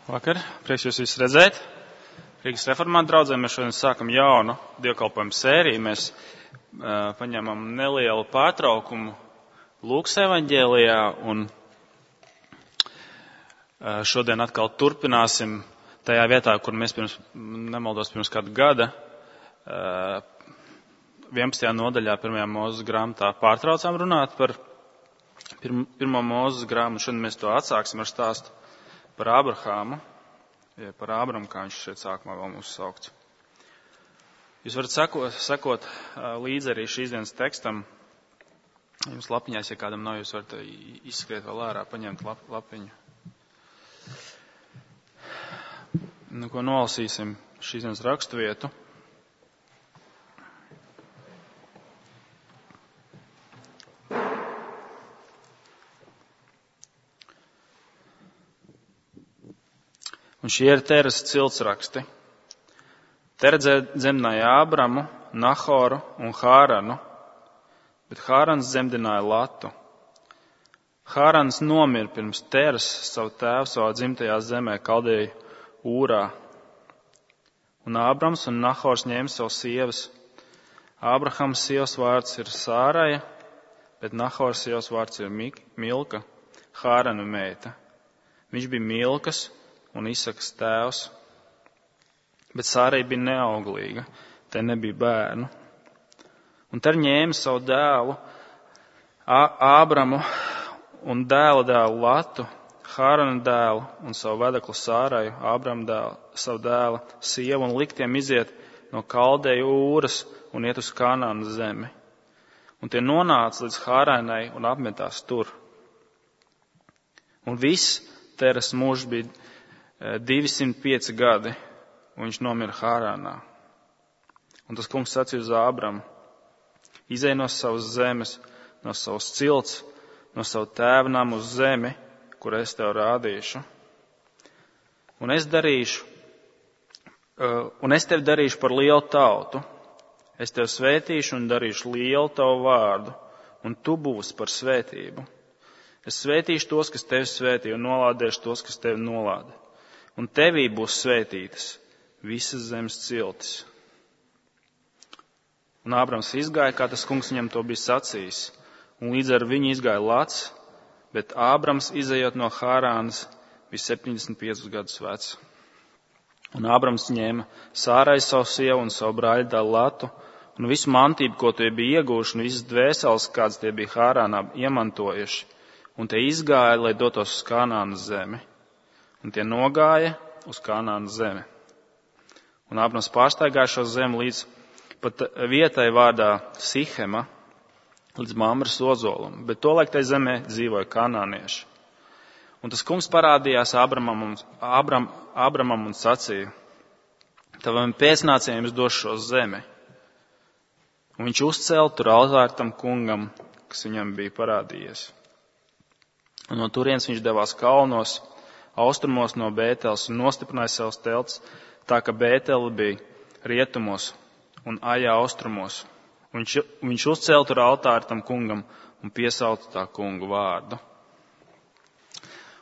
Vakar, prieks jūs visus redzēt. Rīgas reformātu draudzē mēs šodien sākam jaunu dievkalpojumu sēriju. Mēs paņemam nelielu pārtraukumu Lūkas evaņģēlijā un šodien atkal turpināsim tajā vietā, kur mēs pirms kāda gada 11. nodaļā 1. Mūzes grāmatā pārtraucām runāt par 1. Mūzes grāmatu. Šodien mēs to atsāksim ar stāstu par Ābrahāmu, par Ābramu, kā viņš šeit sākumā vēl mūs saukts. Jūs varat sekot līdzi arī šīs dienas tekstam. Jums lapiņās, ja kādam nav, jūs varat izskriet vēl ārā, paņemt lapiņu. Nu, ko nolasīsim šīs dienas raksturvietu. Un šie ir Teras ciltsraksti. Tera dzemdināja Ābramu, Nahoru un Hāranu, bet Hārans dzemdināja Latu. Hārans nomira pirms Teras savu tēvu savā dzimtajā zemē, Kaldeju Ūrā. Un Ābrams un Nahors ņēma savas sievas. Ābrahams sievas vārds ir Sāraja, bet Nahors sievas vārds ir Milka, Hārana meita. Viņš bija Milkas un Isakas tēvs, bet Sārai bija neauglīga, te nebija bērnu. Un tad ņēma savu dēlu Ābramu un dēla dēlu Latu, Hārana dēlu un savu vedeklu Sāraju, Ābrama dēlu, savu dēla sievu un liktiem iziet no Kaldeju Ūras un iet uz Kanānas zemi. Un tie nonāca līdz Hārainai un apmetās tur. Un viss Teras mūžs bija 205 gadi, un viņš nomira Hārānā. Un tas kungs sacīja uz Ābramu: izej no savas zemes, no savas cilts, no savu tēva namu uz zemi, kur es tev rādīšu. Un es tevi darīšu par lielu tautu. Es tevi svētīšu un darīšu lielu tavu vārdu, un tu būsi par svētību. Es svētīšu tos, kas tevi svētī, un nolādēšu tos, kas tevi nolāda. Un tevī būs svētītas visas zemes ciltis. Un Ābrams izgāja, kā tas kungs viņam to bija sacījis, un līdz ar viņu izgāja Lats, bet Ābrams, izejot no Hārānas, bija 75 gadus vecs. Un Ābrams ņēma Sārai savu sievu un savu brāļdēlu Latu, un visu mantību, ko tie bija ieguvuši, un visas dvēseles, kādas tie bija Hārānā iemantojuši, un tie izgāja, lai dotos uz Kanānas zemi. Un tie nogāja uz Kanānas zemi. Un Ābrams pārstaigāja šo zemi līdz pat vietai vārdā Sihema, līdz Mamres ozolam, bet tolaik tai zemē dzīvoja kanānieši. Un tas kungs parādījās Ābramam un sacīja: tavam pēcnācējiem es došu šo zemi. Un viņš uzcēla tur altāri tam kungam, kas viņam bija parādījies. Un no turienes viņš devās kalnos, austrumos no Bēteles, un nostiprināja savus telts, tā ka Bētele bija rietumos un Ajā austrumos. Viņš uzcēla tur altāri tam kungam un piesauca tā kungu vārdu.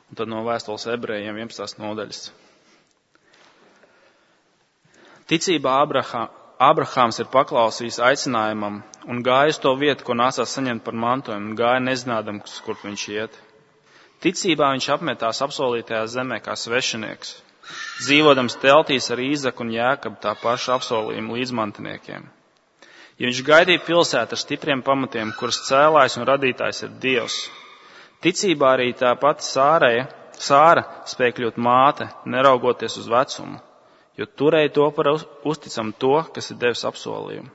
Un tad no vēstules ebrejiem 11. nodaļas. Ticībā Ābrahāms ir paklausījis aicinājumam un gāja uz to vietu, ko nācās saņemt par mantojumu, un gāja nezinādams, kur viņš iet. Ticībā viņš apmetās apsolītajā zemē kā svešinieks, dzīvodams teltīs ar Īzaku un Jēkabu, tā paša apsolījuma līdzmantiniekiem. Ja viņš gaidīja pilsētu ar stipriem pamatiem, kuras cēlājs un radītājs ir Dievs, ticībā arī tā pati Sāra spēja kļūt māte, neraugoties uz vecumu, jo turēja to par uzticam to, kas ir devis apsolījumu.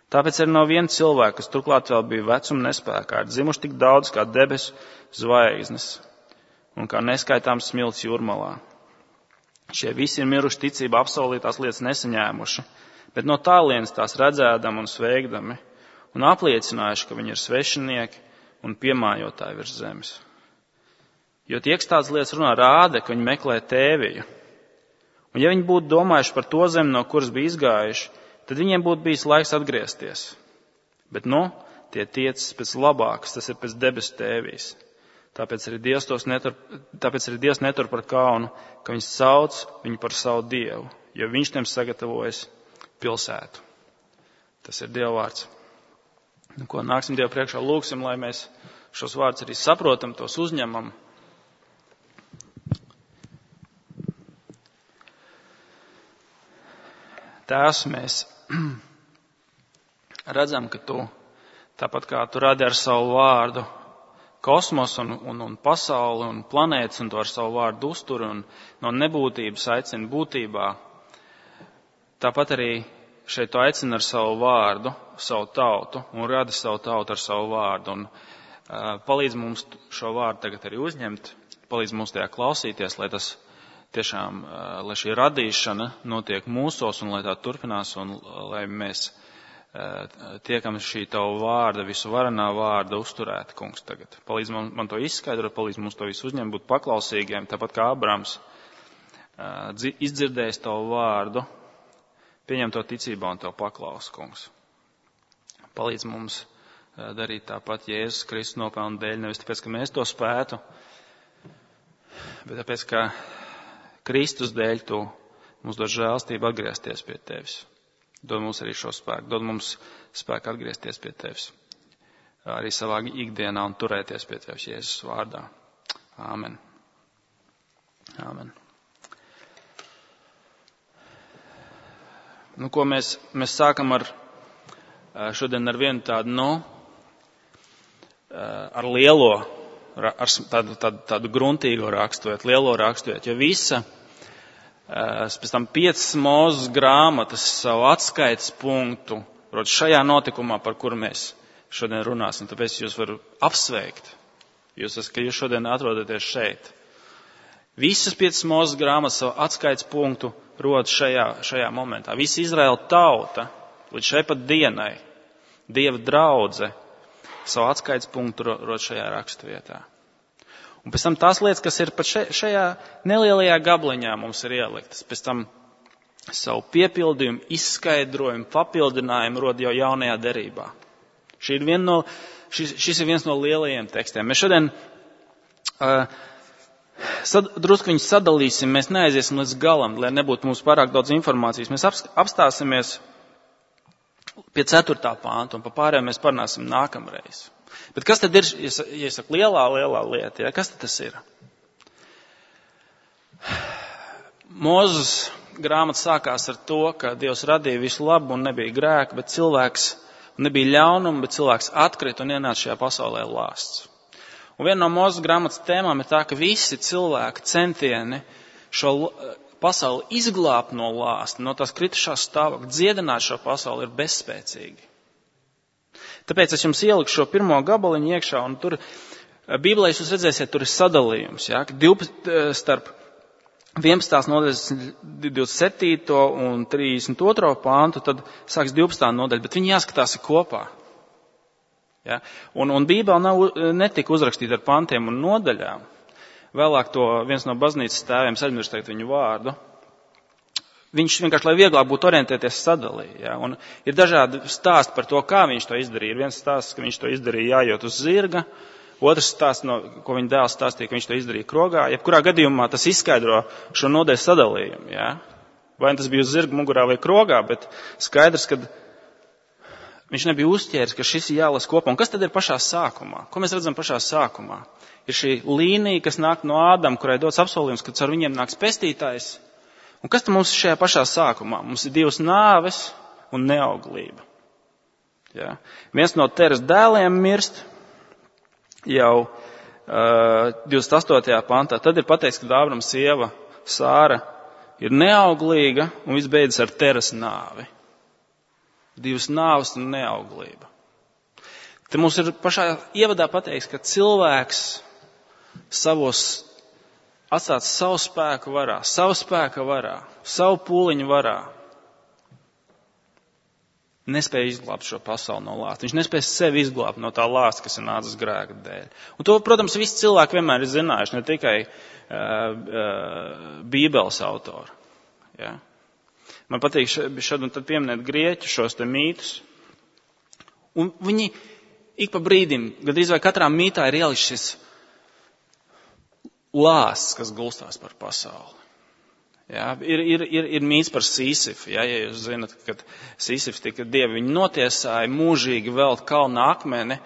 Tāpēc arī no viena cilvēka, kas turklāt vēl bija vecuma nespēkā, ir dzimuši tik daudz kā debesu zvaigznes un kā neskaitāms smilts jūrmalā. Šie visi ir miruši ticībā apsolītās lietas nesaņēmuši, bet no tālienes tās redzēdami un sveikdami, un apliecinājuši, ka viņi ir svešinieki un piemājotāji virs zemes. Jo tie, kas tādas lietas runā, rāda, ka viņi meklē tēviju. Un ja viņi būtu domājuši par to zemi, no kuras bija izgājuši, tad viņiem būtu bijis laiks atgriezties. Bet tie tiecas pēc labākas, tas ir pēc debesu tēvijas. Tāpēc arī Dievs netur par kaunu, ka viņš sauc viņu par savu Dievu, jo viņš tiem sagatavojas pilsētu. Tas ir Dieva vārds. Ko nāksim Dievu priekšā, lūgsim, lai mēs šos vārdus arī saprotam, tos uzņemam. Tēvs, mēs redzam, ka tu, tāpat kā tu radi ar savu vārdu kosmosu un pasauli un planētas, un tu ar savu vārdu uzturi un no nebūtības aicini būtībā, tāpat arī šeit tu aicini ar savu vārdu, savu tautu un radi savu tautu ar savu vārdu. Un palīdz mums šo vārdu tagad arī uzņemt, palīdz mums tajā klausīties, lai tas tiešām, lai šī radīšana notiek mūsos un lai tā turpinās un lai mēs tiekam šī tavu vārda, visu varenā vārda uzturēt, kungs, tagad. Palīdz man to izskaidrot, palīdz mums to visu uzņemt, būt paklausīgiem, tāpat kā Abrams izdzirdējis tavu vārdu, pieņem to ticībā un tev paklaus, kungs. Palīdz mums darīt tāpat Jēzus Kristus nopelnu dēļ, nevis tāpēc, ka mēs to spētu, bet tāpēc, ka Kristus dēļ tu mums dod žēlstību atgriezties pie tevis. Dod mums arī šo spēku, dod mums spēku atgriezties pie tevis. Arī savā ikdienā un turēties pie tevis Jēzus vārdā. Āmen. Āmen. Ko mēs sākam šodien ar vienu tādu, ar lielo, ar tādu gruntīgo raksturiet, lielo raksturiet, jo visa, pēc tam 5 Mūzes grāmatas savu atskaites punktu, proti šajā notikumā, par kuru mēs šodien runāsim, tāpēc jūs varu apsveikt, ka jūs šodien atrodaties šeit. Visas 5 Mūzes grāmatas savu atskaites punktu rod šajā momentā. Visa Izraēla tauta līdz šai pat dienai, Dieva draudze, savu atskaites punktu rod šajā raksturvietā. Un pēc tam tās lietas, kas ir pat šajā nelielajā gabliņā mums ir ieliktas, pēc tam savu piepildījumu, izskaidrojumu, papildinājumu rod jau jaunajā derībā. Šis ir viens no lielajiem tekstiem. Mēs šodien drusku viņus sadalīsim, mēs neaiziesim līdz galam, lai nebūtu mums pārāk daudz informācijas. Mēs apstāsimies pie 4. pānta un pa pārējām mēs parunāsim nākamreiz. Bet kas tad ir, ja saka, lielā lieta, ja? Kas tad tas ir? Mūzes grāmata sākās ar to, ka Dievs radīja visu labu un nebija grēka, bet cilvēks, nebija ļaunuma, bet cilvēks atkrita un ienāca šajā pasaulē lāsts. Un viena no Mūzes grāmatas tēmām ir tā, ka visi cilvēki centieni šo pasauli izglābt no lāsta, no tās kritušās stāvokļa, dziedināt šo pasauli ir bezspēcīgi. Tāpēc es jums ieliku šo pirmo gabaliņu iekšā, un tur Bībelē jūs redzēsiet, tur ir sadalījums, ja, starp 11. nodaļas 27. un 32. pāntu, tad sāks 12. nodaļa, bet viņi jāskatās kopā. Ja. Un Bībele netika uzrakstīta ar pantiem un nodaļām. Vēlāk to viens no baznīcas tēviem, aizmirst teikt viņu vārdu, viņš vienkārši, lai vieglāk būtu orientēties, sadalīja. Ja? Un ir dažādi stāsti par to, kā viņš to izdarīja. Ir viens stāsts, ka viņš to izdarīja jājot uz zirga. Otrs stāsts, ko viņa dēls stāstīja, ka viņš to izdarīja krogā. Jebkurā gadījumā tas izskaidro šo nodaļu sadalījumu. Ja? Vai tas bija uz zirga mugurā vai krogā, bet skaidrs, ka viņš nebija uzķēris, ka šis ir jālas kopā. Un kas tad ir pašā sākumā? Ko mēs redzam pašā sākumā? Ir šī līnija, kas nāk no Ādama, kurai dots apsolījums, ka caur viņiem nāks pestītājs. Un kas tad mums ir šajā pašā sākumā? Mums ir 2 nāves un neauglība. Ja? Viens no Teras dēliem mirst jau 28. pantā. Tad ir pateikts, ka Ābrama sieva Sāra ir neauglīga un viss beidzas ar Teras nāvi. 2 nāves un neauglība. Te mums ir pašā ievadā pateikts, ka cilvēks atstāts savu spēku varā, savu pūliņu varā, nespēja izglābt šo pasauli no lāsta. Viņš nespēja sevi izglābt no tā lāsta, kas ir nācis grēka dēļ. Un to, protams, visi cilvēki vienmēr ir zinājuši, ne tikai Bībeles autori. Ja? Man patīk šad un tad pieminēt grieķu šos te mītus. Un viņi ik pa brīdim, gandrīz vai katrā mītā ir ielikts šis lāsts, kas gulstās par pasauli. Jā, ir mīts par Sīsifu. Jā, ja jūs zinat, kad Sīsifs tika dievi viņu notiesāja, mūžīgi velt kalna akmeni,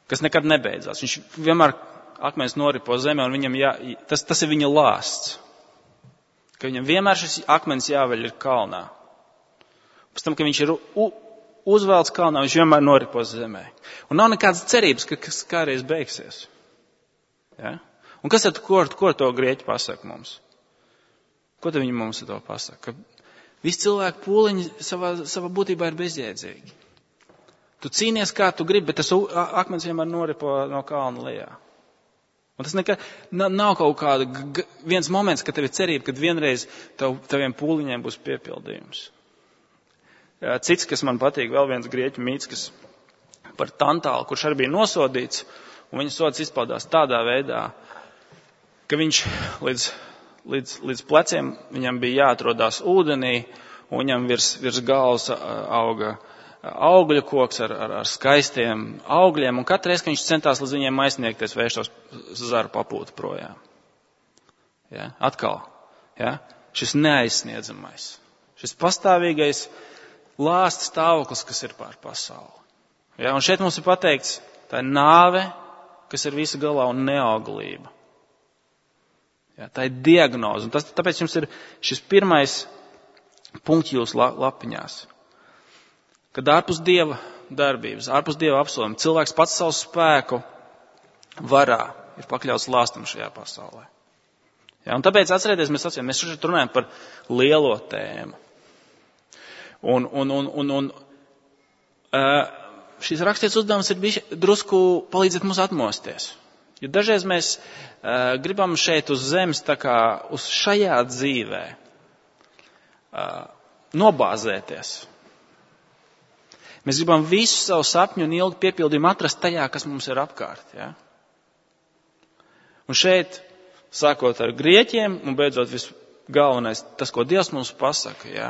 kas nekad nebeidzās. Viņš vienmēr akmens noripo zemē, un viņam tas ir viņa lāsts. Ka viņam vienmēr šis akmens jāveļ ir kalnā. Pēc tam, ka viņš ir uzvelts kalnā, viņš vienmēr noripo zemē. Un nav nekādas cerības, ka kādreiz beigsies. Ja? Un kas tad, ko to grieķi pasaka mums? Ko tad viņi mums to pasaka? Ka visi cilvēki pūliņi savā būtībā ir bezjēdzīgi. Tu cīnies, kā tu gribi, bet tas akmens vienmēr noripo no kalna lejā. Un tas nekad nav kaut kāda viens moments, kad tev ir cerība, kad vienreiz taviem pūliņiem būs piepildījums. Cits, kas man patīk, vēl viens grieķu mīts, kas par Tantālu, kurš arī bija nosodīts, un viņa sods izpaudās tādā veidā, ka viņš līdz pleciem viņam bija jāatrodās ūdenī, un viņam virs galvas auga augļu koks ar skaistiem augļiem, un katru reizi, kad viņš centās līdz viņiem aizsniegties, vēršos zaru papūtu projām. Ja? Atkal, ja? Šis neaizsniedzamais, šis pastāvīgais lāsta stāvoklis, kas ir pār pasauli. Ja? Un šeit mums ir pateikts, tā ir nāve, kas ir visa galā, un neauglība. Ja? Tā ir diagnoze, un tāpēc jums ir šis pirmais punkts jūsu lapiņās. Kad ārpus Dieva darbības, ārpus Dieva apsolījuma, cilvēks pats savu spēku varā ir pakļauts lāstam šajā pasaulē. Ja, un tāpēc atcerieties, mēs šeit runājam par lielo tēmu. Un šīs rakstīts uzdevums ir drusku palīdzēt mums atmosties. Jo dažreiz mēs gribam šeit uz zemes, tā kā uz šajā dzīvē, nobāzēties. Mēs gribam visu savu sapņu un ilgu piepildījumu atrast tajā, kas mums ir apkārt. Ja? Un šeit, sākot ar grieķiem un beidzot visgalvenais, tas, ko Dievs mums pasaka, ja?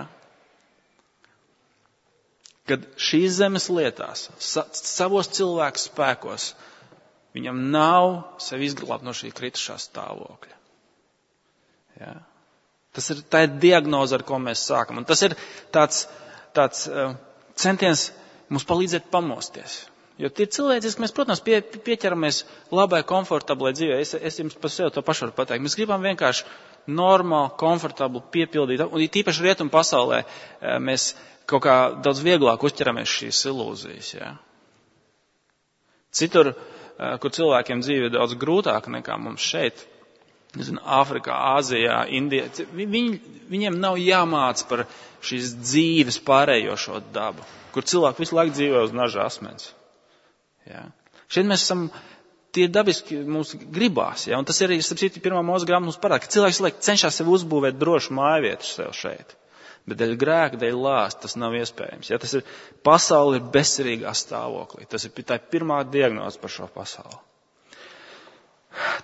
Kad šīs zemes lietās, savos cilvēku spēkos, viņam nav sevi izglābt no šī kritušā stāvokļa. Ja? Tā ir diagnoze, ar ko mēs sākam. Un tas ir tāds centiens mums palīdzēt pamosties. Jo tie cilvēciski mēs, protams, pieķeramies labai, komfortablai dzīvē. Es jums par sevi to pašu varu pateikt. Mēs gribam vienkārši normāli, komfortabli piepildīt. Un tīpaši rietumu pasaulē mēs kaut kā daudz vieglāk uzķeramies šīs ilūzijas. Ja? Citur, kur cilvēkiem dzīve ir daudz grūtāka nekā mums šeit, Āfrikā, Āzijā, Indijā, viņiem nav jāmāc par šīs dzīves pārējošo dabu, kur cilvēki visu laiku dzīvo uz naža asmens. Ja? Šeit mēs esam, tie dabiski mums gribās, ja? Un tas ir arī, starp citu, 1. Mūzes grāmata mums parāda, ka cilvēks cenšas sev uzbūvēt drošu mājvietu sev šeit. Bet dēļ grēka, dēļ lāsta tas nav iespējams. Ja? Tas ir, pasauli ir bezcerīgā stāvoklī. Tā ir pirmā diagnoze par šo pasauli.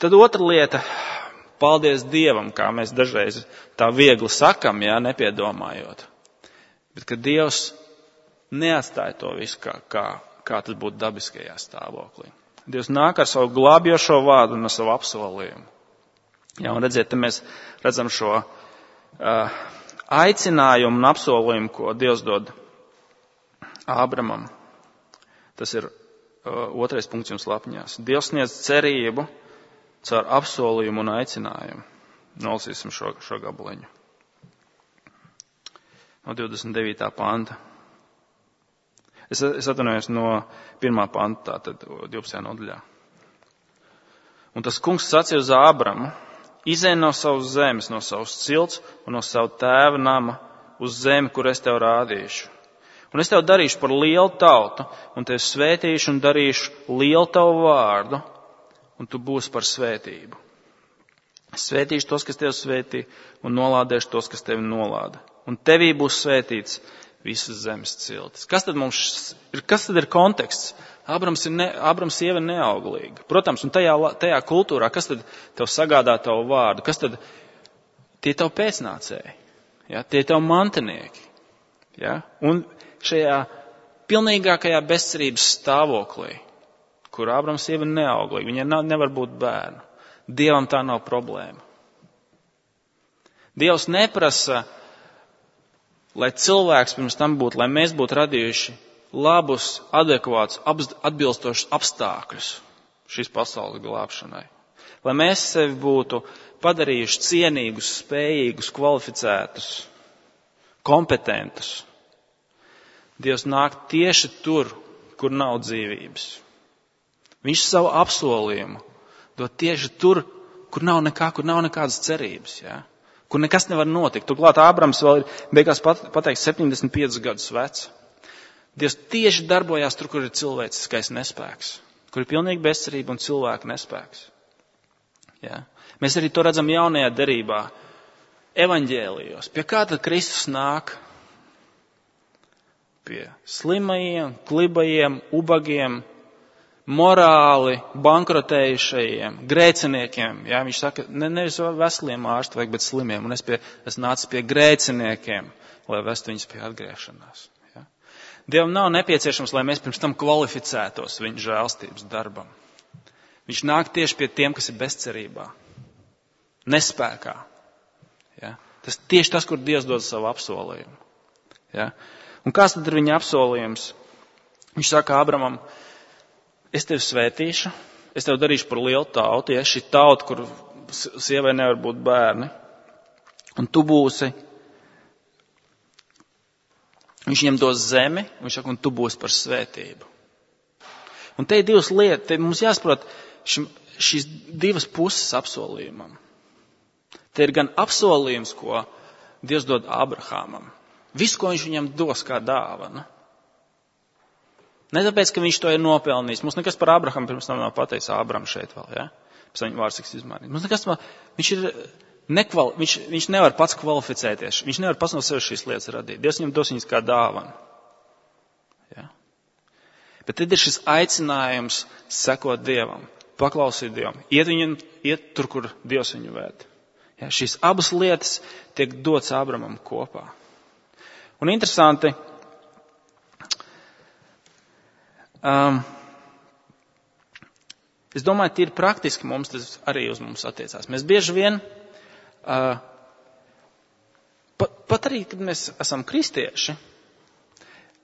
Tad otra lieta. Paldies Dievam, kā mēs dažreiz tā viegli sakam, ja, nepiedomājot. Bet ka Dievs neatstāja to visu, kā tas būtu dabiskajā stāvoklī. Dievs nāk ar savu glābjošo vārdu un ar savu apsolījumu. Ja, un redziet, te mēs redzam šo aicinājumu un apsolījumu, ko Dievs dod Ābramam. Tas ir 2. punkts jums lapiņās. Dievs sniedz cerību caur apsolījumu un aicinājumu. Nolasīsim šo gabaliņu. No 29. panta. Es atvainojos no 1. panta, tātad 12. nodaļā. Un tas kungs sacīja uz Ābramu, izej no savas zemes, no savas cilts un no savu tēva nama uz zemi, kur es tev rādīšu. Un es tev darīšu par lielu tautu, un tev svētīšu un darīšu lielu tavu vārdu, un tu būsi par svētību. Es svētīšu tos, kas tevi svētī, un nolādēšu tos, kas tevi nolāda. Un tevī būs svētīts visas zemes ciltis. Kas tad ir konteksts? Ābrams sieva ir neauglīga. Protams, un tajā kultūrā, kas tad tev sagādā tavu vārdu? Kas tad tie tev pēcnācēji? Ja? Tie tev mantinieki. Ja? Un šajā pilnīgākajā bezcerības stāvoklī, kur Ābrams sieva ir neauglīga, viņai nevar būt bērnu. Dievam tā nav problēma. Dievs neprasa, lai cilvēks pirms tam būtu, lai mēs būtu radījuši labus, adekvātus, atbilstošus apstākļus šīs pasaules glābšanai. Lai mēs sevi būtu padarījuši cienīgus, spējīgus, kvalificētus, kompetentus. Dievs nāk tieši tur, kur nav dzīvības. Viņš savu apsolījumu dod tieši tur, kur nav nekādas cerības, ja? Kur nekas nevar notikt. Turklāt Ābrams vēl ir beigās pateiks 75 gadus vecs. Dievs tieši darbojās tur, kur ir cilvēciskais nespēks, kur ir pilnīgi bezcerība un cilvēka nespēks. Ja? Mēs arī to redzam jaunajā derībā, evaņģēlijos. Pie kā tad Kristus nāk? Pie slimajiem, klibajiem, ubagiem, morāli bankrotējušajiem, grēciniekiem. Ja? Viņš saka, nevis veseliem ārstu vajag, bet slimiem. Un es nācu pie grēciniekiem, lai vestu viņus pie atgriešanās. Ja? Dievam nav nepieciešams, lai mēs pirms tam kvalificētos viņa žēlstības darbam. Viņš nāk tieši pie tiem, kas ir bezcerībā, nespēkā. Ja? Tas tieši tas, kur Dievs dod savu apsolījumu. Ja? Un kāds tad ir viņa apsolījums? Viņš saka Ābramam, es tevi svētīšu, es tevi darīšu par lielu tautu, ja šī tauta, kur sievai nevar būt bērni, un tu būsi, viņš viņam dos zemi, viņš saka, un tu būsi par svētību. Un te ir divas lietas, te mums jāsaprot šīs divas puses apsolījumam. Te ir gan apsolījums, ko Dievs dod Abrahamam. Visu, ko viņš viņam dos kā dāvana. Ne tāpēc, ka viņš to ir nopelnījis. Mums nekas par Abrahamu pirms tam nav pateicis Ābram šeit vēl, ja? Pēc viņa vārds tiks izmainīt. Mums nekas vēl, viņš nevar pats kvalificēties. Viņš nevar pats no sevis šīs lietas radīt. Dievs viņam dos viņas kā dāvana. Ja? Bet tad ir šis aicinājums sekot Dievam, paklausīt Dievam, iet tur, kur Dievs viņu vēd. Ja? Šīs abas lietas tiek dots Ābramam kopā. Un interesanti, es domāju, tīri praktiski mums tas arī uz mums attiecās. Mēs bieži vien, pat arī, kad mēs esam kristieši,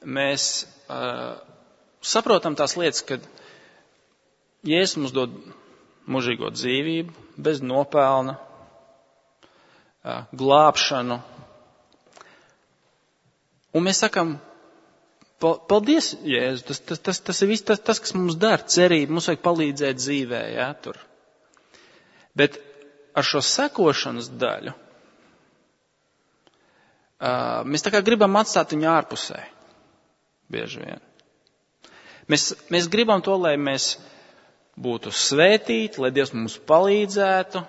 mēs saprotam tās lietas, kad Jēzus mums dod mūžīgo dzīvību, bez nopelna, glābšanu. Un mēs sakam, paldies, Jēzus, tas ir viss tas, kas mums dara, cerība, mums vajag palīdzēt dzīvē, jā, tur. Bet ar šo sekošanas daļu mēs tā kā gribam atstāt viņu ārpusē, bieži vien. Mēs gribam to, lai mēs būtu svētīti, lai Dievs mums palīdzētu,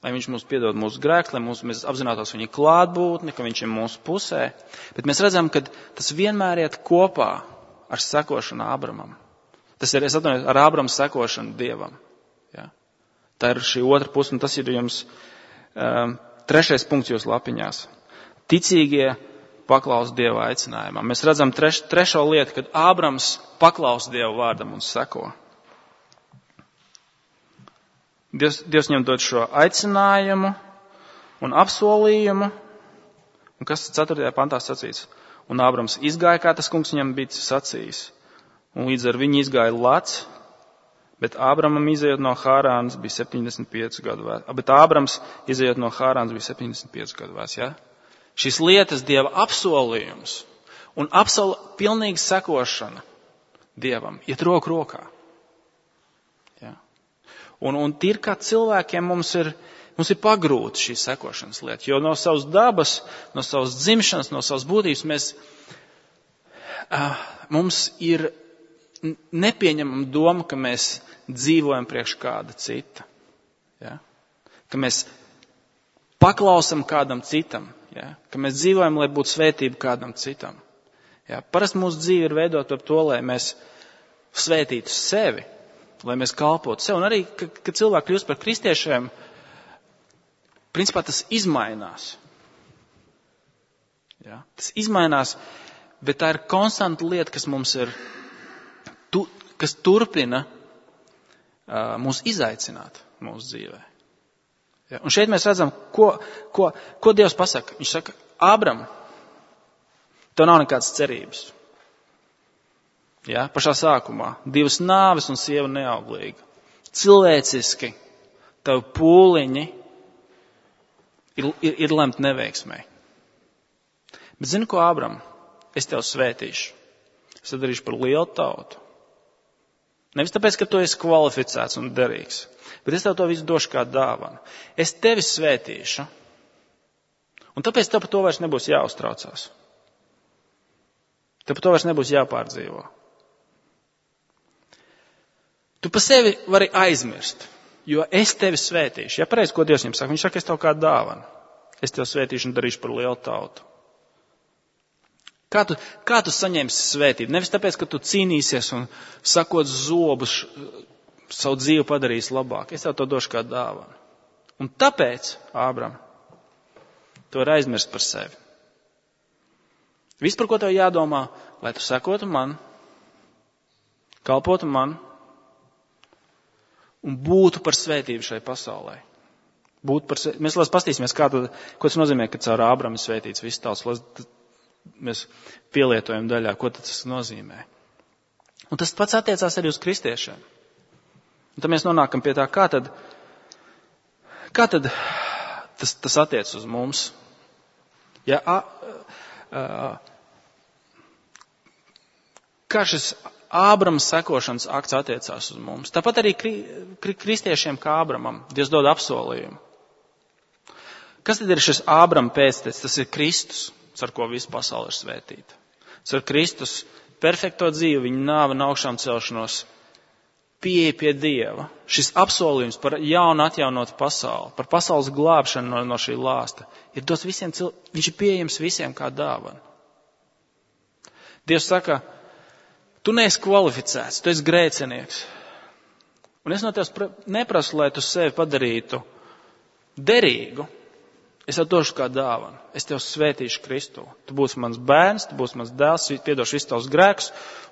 lai viņš mums piedod mūsu grēkus, lai mēs apzinātos viņa klātbūtni, ka viņš ir mūsu pusē. Bet mēs redzam, ka tas vienmēr iet kopā ar sekošanu Ābramam. Tas ir, ar Ābrama sekošanu Dievam. Ja? Tā ir šī otra puse, un tas ir jums 3. punkts jūsu lapiņās. Ticīgie paklaus Dieva aicinājumam. Mēs redzam trešo lietu, kad Ābrams paklaus Dieva vārdam un seko. Dievs viņam dod šo aicinājumu un apsolījumu. Un kas 4. pantā sacīts? Un Ābrams izgāja, kā tas kungs viņam bija sacījis. Un līdz ar viņu izgāja Lats, bet Ābramam izejot no Hārānas bija 75 gadu vecs. Bet Ābrams izejot no Hārānas bija 75 gadu vecs, ja? Šīs lietas Dieva apsolījums un pilnīga sekošana Dievam iet roku rokā. Un tīri kā cilvēkiem mums ir pagrūti šī sekošanas lieta, jo no savas dabas, no savas dzimšanas, no savas būtības mums ir nepieņemama doma, ka mēs dzīvojam priekš kāda cita. Ja? Ka mēs paklausam kādam citam, ja? Ka mēs dzīvojam, lai būtu svētība kādam citam. Ja? Parasti mūsu dzīve ir veidot ar to, lai mēs svētītu sevi, lai mēs kalpotu sev. Un arī, kad cilvēki kļūst par kristiešiem, principā tas izmainās. Ja? Tas izmainās, bet tā ir konstanta lieta, kas mums ir, kas turpina mūs izaicināt mūsu dzīvē. Ja? Un šeit mēs redzam, ko Dievs pasaka. Viņš saka, Ābram, tev nav nekādas cerības. Ja? Pašā sākumā 2 nāves un sieva neauglīga. Cilvēciski tavi pūliņi ir lemt neveiksmē. Bet zini ko, Ābram? Es tev svētīšu. Es tev darīšu par lielu tautu. Nevis tāpēc, ka tu esi kvalificēts un derīgs, bet es tev to visu došu kā dāvanu. Es tevi svētīšu. Un tāpēc tev par to vairs nebūs jāuztraucās. Tev par to vairs nebūs jāpārdzīvo. Tu pa sevi vari aizmirst, jo es tevi svētīšu. Ja pareizi, ko Dievs viņam saka? Viņš saka, es tev kā dāvanu. Es tev svētīšu un darīšu par lielu tautu. Kā tu saņemsi svētību? Nevis tāpēc, ka tu cīnīsies un sakot zobus, savu dzīvi padarīsi labāk. Es tev to došu kā dāvanu. Un tāpēc, Ābram, tu vari aizmirst par sevi. Viss, par ko tev jādomā, lai tu sekotu man, kalpotu man un būtu par svētību šai pasaulē. Mēs pastīsimies, ko tas nozīmē, ka caur Ābramu ir svētīts viss tauts. Mēs pielietojam daļā, ko tas nozīmē. Un tas pats attiecās arī uz kristiešiem. Un tad mēs nonākam pie tā, kā tad tas attiec uz mums. Ja, kā šis Ābrama sekošanas akts attiecās uz mums. Tāpat arī kristiešiem kā Ābramam Dievs dod apsolījumu. Kas tad ir šis Ābrama pēctecis? Tas ir Kristus, ar ko visa pasaule ir svētīta. Ar Kristus perfekto dzīvi, viņa nāvi un augšām celšanos, pieeja pie Dieva. Šis apsolījums par jaunu atjaunotu pasauli, par pasaules glābšanu no šī lāsta, ir dots visiem cilvēkiem, viņš ir pieejams visiem kā dāvana. Dievs saka, tu neesi kvalificēts, tu esi grēcinieks. Un es no tevis neprasu, lai tu sevi padarītu derīgu. Es tev došu kā dāvanu. Es tev svētīšu Kristu. Tu būsi mans bērns, tu būsi mans dēls, piedošu visus tavus grēkus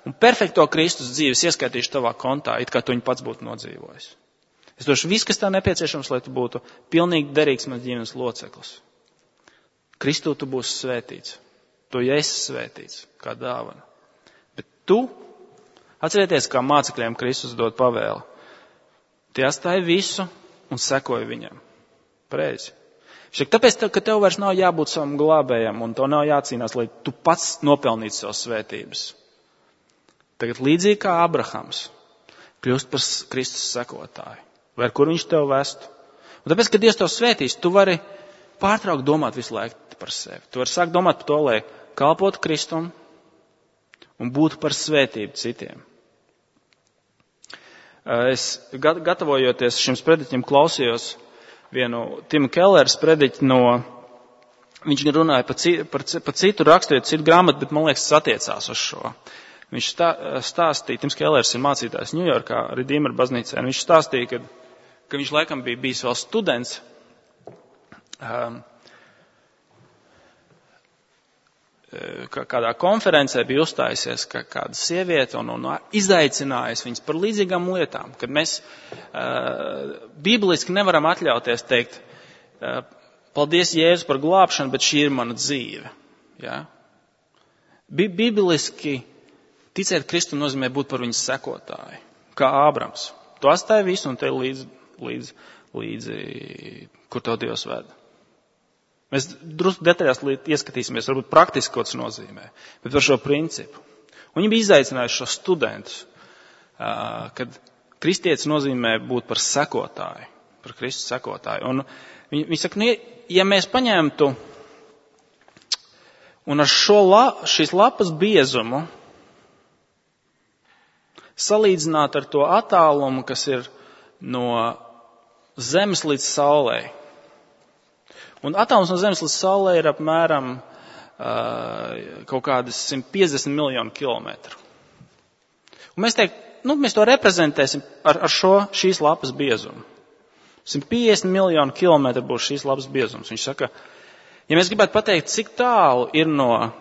un perfekto Kristus dzīves ieskaitīšu tavā kontā, it kā tu viņu pats būtu nodzīvojis. Es došu visu, kas tev nepieciešams, lai tu būtu pilnīgi derīgs mans ģimenes loceklis. Kristu tu būsi svētīts. Tu esi svētīts kā dāvana. Bet tu, atcerieties, kā mācekļiem Kristus dod pavēli. Tie atstāja visu un sekoja viņam. Pareizi. Tāpēc, ka tev vairs nav jābūt savam glābējam un tev nav jācīnās, lai tu pats nopelnītu savas svētības. Tagad līdzīgi kā Abrahams kļūst par Kristus sekotāju, vai ar kur viņš tev vestu. Un tāpēc, ka Dievs tev svētīs, tu vari pārtraukt domāt visu laiku par sevi. Tu vari sākt domāt par to, lai kalpotu Kristum un būtu par svētību citiem. Es gatavojoties šim sprediķim klausījos vienu Tima Kellers prediķi viņš runāja par citu raksturiet, citu grāmatu, bet man liekas, tas attiecās uz šo. Viņš stāstīja, Tims Kellers ir mācītājs Ņujorkā, Redeemer baznīcā, un viņš stāstīja, ka viņš laikam bija bijis vēl students, kādā konferencē bija uzstājusies kāda sieviete un izaicinājusi viņas par līdzīgām lietām, kad mēs bibliski nevaram atļauties teikt, paldies Jēzus par glābšanu, bet šī ir mana dzīve. Ja? Bibliski ticēt Kristum nozīmē būt par viņas sekotāju, kā Ābrams. Tu atstāji visu un te līdzi, kur tev Dievs veda. Mēs drusku detaļās ieskatīsimies, varbūt praktiski, ko tas nozīmē, bet par šo principu. Un viņi bija izaicinājuši šo studentus, kad kristietis nozīmē būt par sekotāju, par Kristus sekotāju. Un viņi saka, ja mēs paņemtu un ar šīs lapas biezumu salīdzināt ar to attālumu, kas ir no Zemes līdz Saulei. Un attālums no Zemes līdz Saulei ir apmēram kaut kādas 150 miljonu kilometru. Un mēs to reprezentēsim ar šīs lapas biezumu. 150 miljonu kilometru būs šīs lapas biezums. Viņš saka, ja mēs gribētu pateikt, cik tālu ir no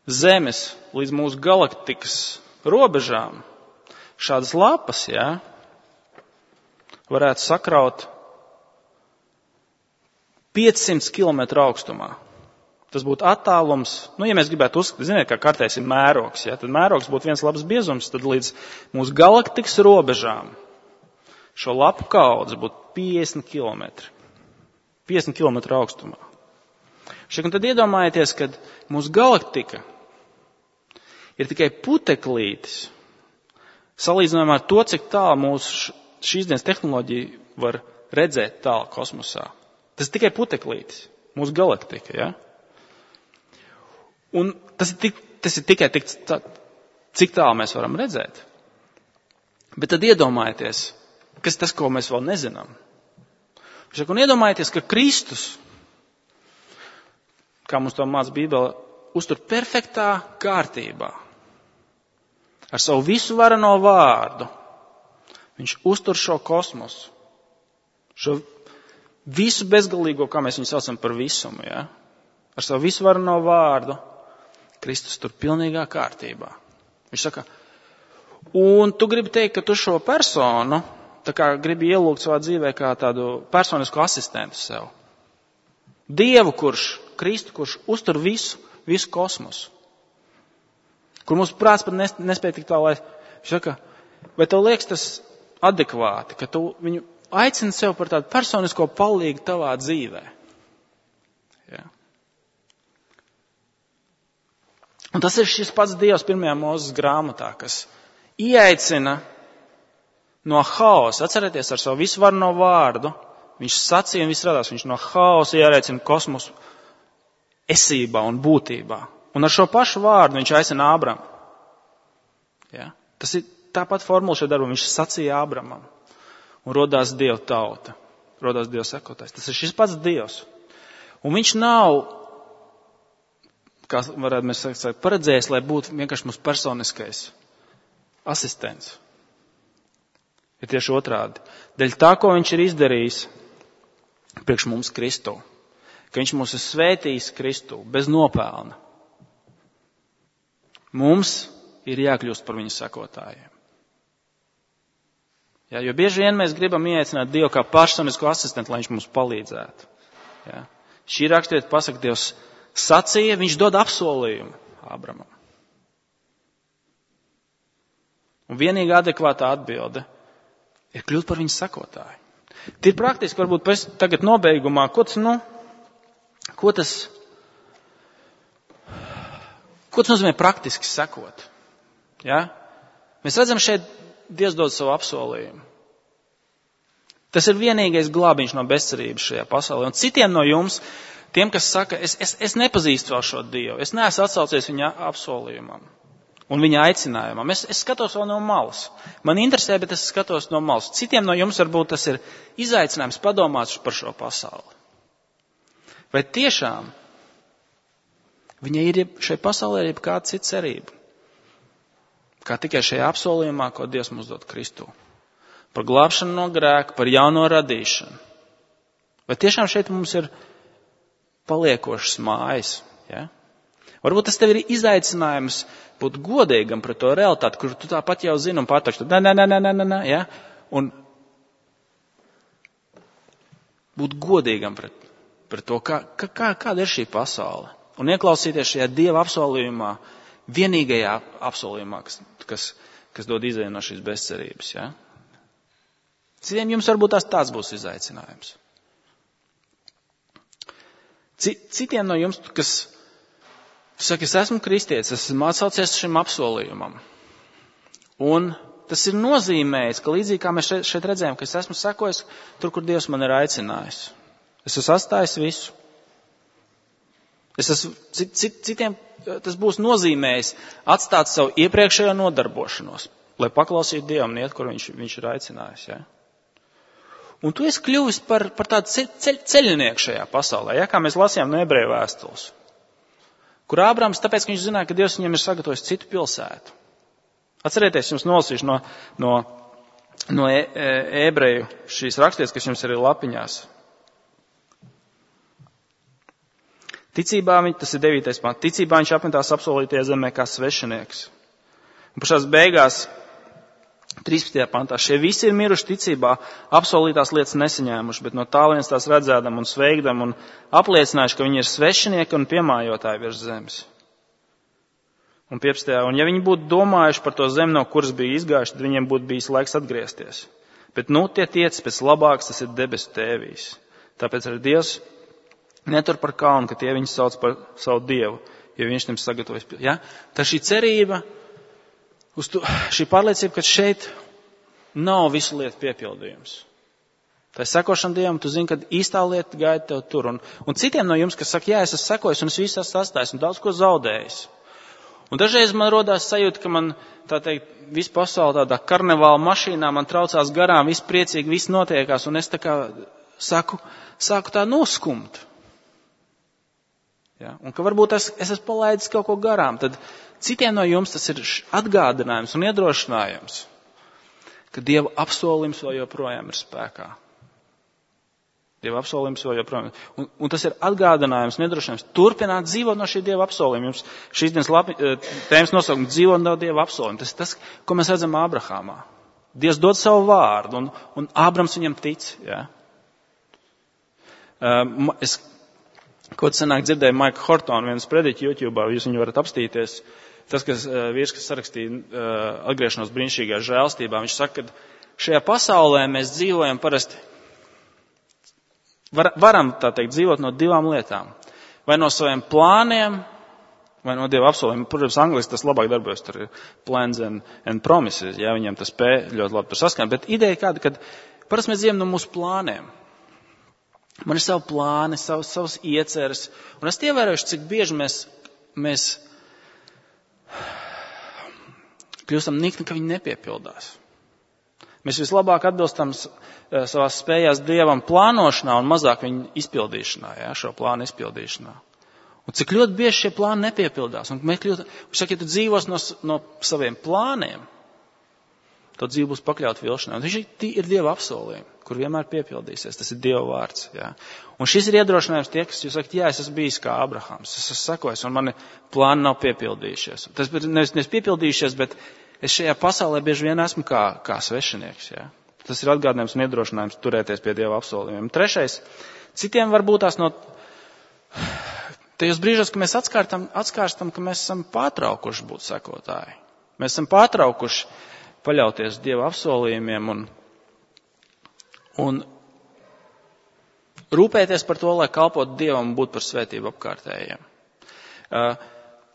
Zemes līdz mūsu galaktikas robežām šādas lapas, ja, varētu sakraut 500 km augstumā. Tas būtu attālums, ja mēs gribētu uzskatīt, ziniet, kā kartēs ir mērogs, ja, tad mērogs būtu viens labs biezums, tad līdz mūsu galaktikas robežām šo lapu kaudze būtu 50 km. 50 km augstumā. Un tad iedomājieties, ka mūsu galaktika ir tikai puteklītis, salīdzinājumā ar to, cik tālu mūsu šīs dienas tehnoloģija var redzēt tālu kosmosā. Tas ir tikai puteklītis, mūsu galaktika, ja? Un tas ir tikai cik tālu mēs varam redzēt. Bet tad iedomājieties, kas tas, ko mēs vēl nezinām. Un iedomājieties, ka Kristus, kā mums to māca Bībele, uztur perfektā kārtībā. Ar savu visu varano vārdu. Viņš uztur šo kosmosu. Šo visu bezgalīgo, kā mēs viņu saucam par visumu, ja? Ar savu visu varano vārdu. Kristus tur pilnīgā kārtībā. Viņš saka, un tu gribi teikt, ka tu šo personu, tā kā gribi ielūgt savā dzīvē kā tādu personisku asistentu sev. Dievu, Kristu, kurš uztur visu kosmosu. Kur mūsu prāts pat nespēja tik tālu, lai viņš saka, vai tev liekas tas adekvāti, ka tu viņu aicini sev par tādu personisko palīgu tavā dzīvē. Ja. Un tas ir šis pats Dievs 1. Mūzes grāmatā, kas ieaicina no haosa. Atcerieties, ar savu visvarno vārdu, viņš sacīja un viss radās, viņš no haosa ieaicina kosmosu esībā un būtībā. Un ar šo pašu vārdu viņš aicina Ābramu. Ja? Tas ir tāpat formula šajā darbā, viņš sacīja Ābramam. Un rodās Dieva tauta, rodās Dieva sekotājs. Tas ir šis pats Dievs. Un viņš nav, kā varētu mēs teikt, paredzējis, lai būtu vienkārši mūsu personiskais asistents. Ir tieši otrādi. Dēļ tā, ko viņš ir izdarījis priekš mums Kristu, ka viņš mūs ir svētījis Kristu bez nopelna. Mums ir jākļūst par viņu sekotājiem. Ja, jo bieži vien mēs gribam ieaicināt Dievu kā personisku asistentu, lai viņš mums palīdzētu. Ja. Šī rakstiet pasaka, Dievs sacīja, viņš dod apsolījumu Ābramam. Un vienīgā adekvātā atbilde ir kļūt par viņu sekotāju. Tie ir praktiski, varbūt pēc tagad nobeigumā, ko tas nozīmē praktiski sekot? Ja? Mēs redzam šeit, Dievs dod savu apsolījumu. Tas ir vienīgais glābiņš no bezcerības šajā pasaulē. Un citiem no jums, tiem, kas saka, es nepazīstu vēl šo Dievu, es neesmu atsaucies viņa apsolījumam un viņa aicinājumam. Es skatos vēl no malas. Man interesē, bet es skatos no malas. Citiem no jums varbūt tas ir izaicinājums padomāt par šo pasauli. Vai tiešām viņa ir šai pasaulē ir kāda cita cerība? Kā tikai šajā apsolījumā, ko Dievs mums dod Kristū. Par glābšanu no grēka, par jauno radīšanu. Vai tiešām šeit mums ir paliekošas mājas? Ja? Varbūt tas tev ir izaicinājums būt godīgam pret to realitāti, kur tu tāpat jau zini un patakšu. Nē, ja? Un būt godīgam pret to, kāda ir šī pasaule. Un ieklausīties šajā Dieva apsolījumā, vienīgajā apsolījumā, kas dod izēju no šīs bezcerības. Ja? Citiem jums varbūt tāds būs izaicinājums. Citiem no jums, kas saka, es esmu kristietis, esmu atsaucies šim apsolījumam. Un tas ir nozīmējis, ka līdzīgi kā mēs šeit redzējām, ka es esmu sekojis tur, kur Dievs man ir aicinājis. Es esmu atstājis visu. Citiem tas būs nozīmējis atstāt savu iepriekšējo nodarbošanos, lai paklausītu Dievam un iet, kur viņš ir aicinājis. Ja? Un tu esi kļuvis par tādu ceļnieku šajā pasaulē, ja? Kā mēs lasījām no Ebreju vēstules, kur Ābrams, tāpēc, ka viņš zināja, ka Dievs viņam ir sagatavojis citu pilsētu. Atcerieties, jums nolasīšu no Ebreju šīs rakstītes, kas jums ir lapiņās. Ticībā tas ir 9. pants. Ticībā viņš apmetās apsolītajā zemē kā svešinieks. Un pašās beigās 13. pantā. Šie visi ir miruši ticībā, apsolītās lietas nesaņēmuši, bet no tālienes tās redzēdam un sveikdam un apliecinājuši, ka viņi ir svešinieki un piemājotāji virs zemes. Un 15. Un ja viņi būtu domājuši par to zemi, no kuras bija izgājuši, tad viņiem būtu bijis laiks atgriezties. Bet tie tiec pēc labāks, tas ir debesu tēvijs. Tāpēc arī Dievs netur par kaunu, ka tie viņus sauc par savu Dievu, jo viņš tam sagatavojas. Ja? Tā šī cerība, šī pārliecība, ka šeit nav visu lietu piepildījums. Tā ir sekošana Dievam, tu zini, ka īstā lieta gaida tev tur. Un citiem no jums, kas saka, jā, es esmu sekojis un es visu esmu atstājis un daudz ko zaudējis. Un dažreiz man rodās sajūta, ka man, tā teikt, visu pasauli tādā karnevāla mašīnā man traucās garām, viss priecīgi, viss notiekās, un es tā kā sāku tā noskumt. Ja? Un ka varbūt es esmu palaidis kaut ko garām, tad citiem no jums tas ir atgādinājums un iedrošinājums, ka Dieva apsolījums vēl joprojām ir spēkā. Dieva apsolījums vēl joprojām. Un tas ir atgādinājums un iedrošinājums turpināt dzīvot no šī Dieva apsolījuma. Jums šīs dienas tēmas nosaukums dzīvot no Dieva apsolījuma. Tas ir tas, ko mēs redzam Ābrahamā. Dievs dod savu vārdu un Ābrams viņam tic. Ja? Es kaut senāk dzirdēju Maika Hortonu vienas prediķi YouTube'ā, jūs viņu varat apstīties. Tas, vīrs, kas sarakstīja atgriešanos brīnišķīgā žēlstībā, viņš saka, ka šajā pasaulē mēs dzīvojam parasti, varam tā teikt dzīvot no divām lietām. Vai no saviem plāniem, vai no Dieva apsolījumiem. Protams, angliski tas labāk darbojas, tur ir plans and promises, ja viņiem tas spēj ļoti labi tur saskan. Bet ideja kāda, ka parasti mēs dzīvojam no mūsu plāniem. Man ir savi plāni, savas ieceres, un es ievērojuši, cik bieži mēs kļūstam nikni, ka viņi nepiepildās. Mēs vislabāk atbilstam savās spējās Dievam plānošanā un mazāk viņu izpildīšanā, ja, šo plānu izpildīšanā. Un cik ļoti bieži šie plāni nepiepildās. Un viņš saka, ja tu dzīvos no saviem plāniem, tad dzīve būs pakļaut vilšanai. Un viņš ir Dieva apsolījumi, kur vienmēr piepildīsies. Tas ir Dieva vārds. Ja. Un šis ir iedrošinājums tie, kas jūs sakat, jā, es esmu bijis kā Abrahams, es esmu sekojis, un mani plāni nav piepildījušies. Tas nevis piepildījušies, bet es šajā pasaulē bieži vien esmu kā svešinieks. Ja. Tas ir atgādinājums un iedrošinājums turēties pie Dieva apsolījumiem. Trešais, citiem varbūt tās no tajos brīžos, ka mēs atskārstam, ka mēs esam pārtraukuši būt sekotāji. Mēs esam pārtraukuši paļauties Dieva apsolījumiem un rūpēties par to, lai kalpotu Dievam un būtu par svētību apkārtējiem.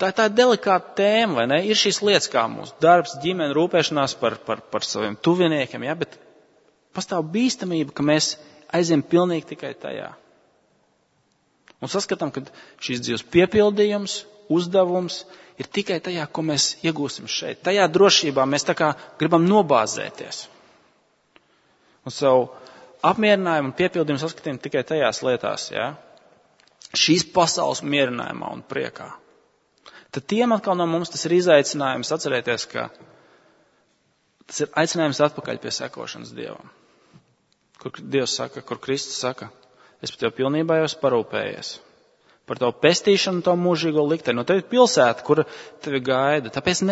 Tā ir delikāta tēma, vai ne? Ir šīs lietas kā mūsu darbs, ģimene, rūpēšanās par saviem tuviniekiem, ja? Bet pastāv bīstamība, ka mēs aiziem pilnīgi tikai tajā. Un saskatām, ka šīs dzīves piepildījums, uzdevums ir tikai tajā, ko mēs iegūsim šeit. Tajā drošībā mēs tā kā gribam nobāzēties. Un savu apmierinājumu un piepildījumu saskatām tikai tajās lietās, ja? Šīs pasaules mierinājumā un priekā. Tad tiem atkal no mums tas ir izaicinājums atcerēties, ka tas ir aicinājums atpakaļ pie sekošanas Dievam. Kur Dievs saka, kur Kristus saka, es par tevi pilnībā jau esmu parūpējies. Par tavu pestīšanu, tavu mūžīgo likteni. No tevi ir pilsēta, kura tevi gaida. Tāpēc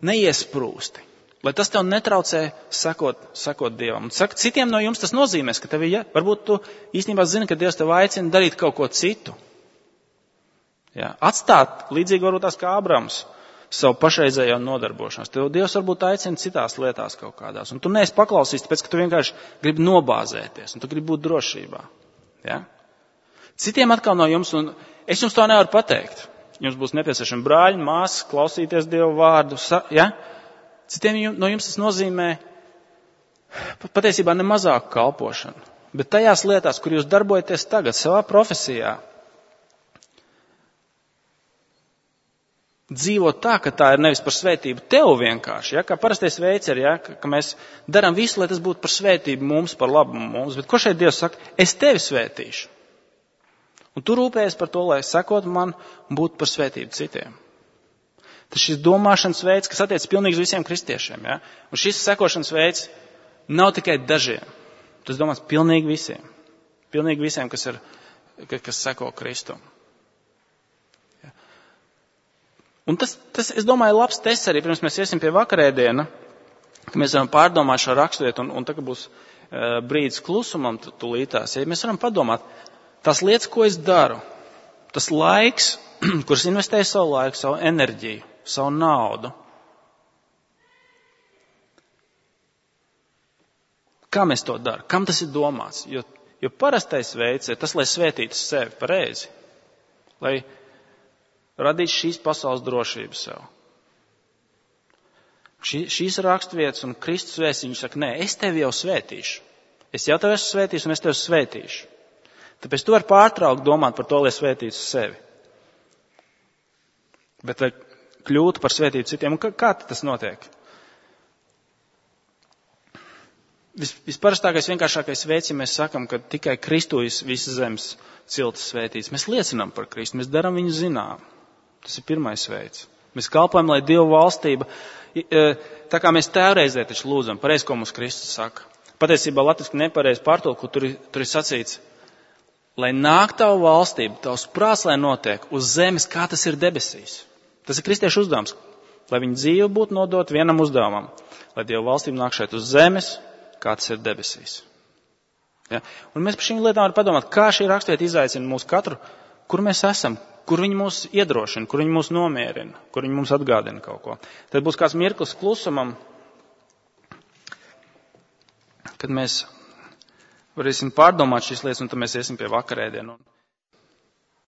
neiesprūsti. Lai tas tev netraucē sekot Dievam. Un saka, citiem no jums tas nozīmēs, ka tevi, varbūt tu īstenībā zini, ka Dievs tev aicina darīt kaut ko citu. Ja, atstāt, līdzīgi varbūt tās kā Abrams, savu pašreizējo nodarbošanos. Tev Dievs varbūt aicina citās lietās kaut kādās. Un tu neesi paklausīts, tāpēc, ka tu vienkārši gribi nobāzēties. Un tu gribi būt drošībā. Ja? Citiem atkal no jums, un es jums to nevaru pateikt. Jums būs nepieciešami brāļi, māsas, klausīties Dievu vārdu. Ja? Citiem no jums tas nozīmē patiesībā ne mazāku kalpošanu. Bet tajās lietās, kur jūs darbojaties tagad, savā profesijā, dzīvot tā, ka tā ir nevis par svētību tev vienkārši, ja, kā parastais veids ir, ja, ka mēs darām visu, lai tas būtu par svētību mums, par labumu mums, bet ko šeit Dievs saka? Es tevi svētīšu. Un tu rūpējies par to, lai sekot man un būtu par svētību citiem. Tas šis domāšanas veids, kas attiec pilnīgi visiem kristiešiem, ja, un šis sekošanas veids nav tikai dažiem. Tas domās pilnīgi visiem. Pilnīgi visiem, kas seko Kristum. Un tas, es domāju, labs tests arī, pirms mēs iesim pie vakarēdiena, ka mēs varam pārdomāt šo raksturvietu, un tagad būs brīdis klusumam tūlītās. Ja mēs varam padomāt, tās lietas, ko es daru, tas laiks, kuras investēju savu laiku, savu enerģiju, savu naudu. Kā mēs to darām? Kam tas ir domāts? Jo parastais veids ir tas, lai svētītu sevi pareizi, lai radītu šīs pasaules drošību sev. Šīs raksturvietas un Kristus vēsts, viņš saka, nē, es tevi jau svētīšu. Es jau tevi esmu svētījis un es tevi svētīšu. Tāpēc tu vari pārtraukt domāt par to, lai svētītu sevi. Bet lai kļūtu par svētītu citiem. Un kā tas notiek? Visparastākais, vienkāršākais veids, ja mēs sakam, ka tikai Kristujas visas zemes ciltis svētīts. Mēs liecinām par Kristu, mēs darām viņu zinām. Tas ir pirmais veids. Mēs kalpojam, lai Dieva valstība, tā kā mēs tēvreizē taču lūdzam, pareizi, ko mums Kristus saka. Patiesībā latviski nepareizi pārtulku, tur ir sacīts, lai nāk tavu valstību, tavs prāts, lai notiek uz zemes, kā tas ir debesīs. Tas ir kristiešu uzdevums, lai viņa dzīve būtu nodot vienam uzdevumam, lai Dieva valstība nāk šeit uz zemes, kā tas ir debesīs. Ja? Un mēs par šīm lietām varam padomāt, kā šī raksturvieta izaicina mūs katru, kur mēs esam, kur viņi mūs iedrošina, kur viņi mūs nomierina, kur viņi mums atgādina kaut ko. Tad būs kāds mirklis klusumam, kad mēs varēsim pārdomāt šīs lietas, un tad mēs iesim pie vakarēdienu.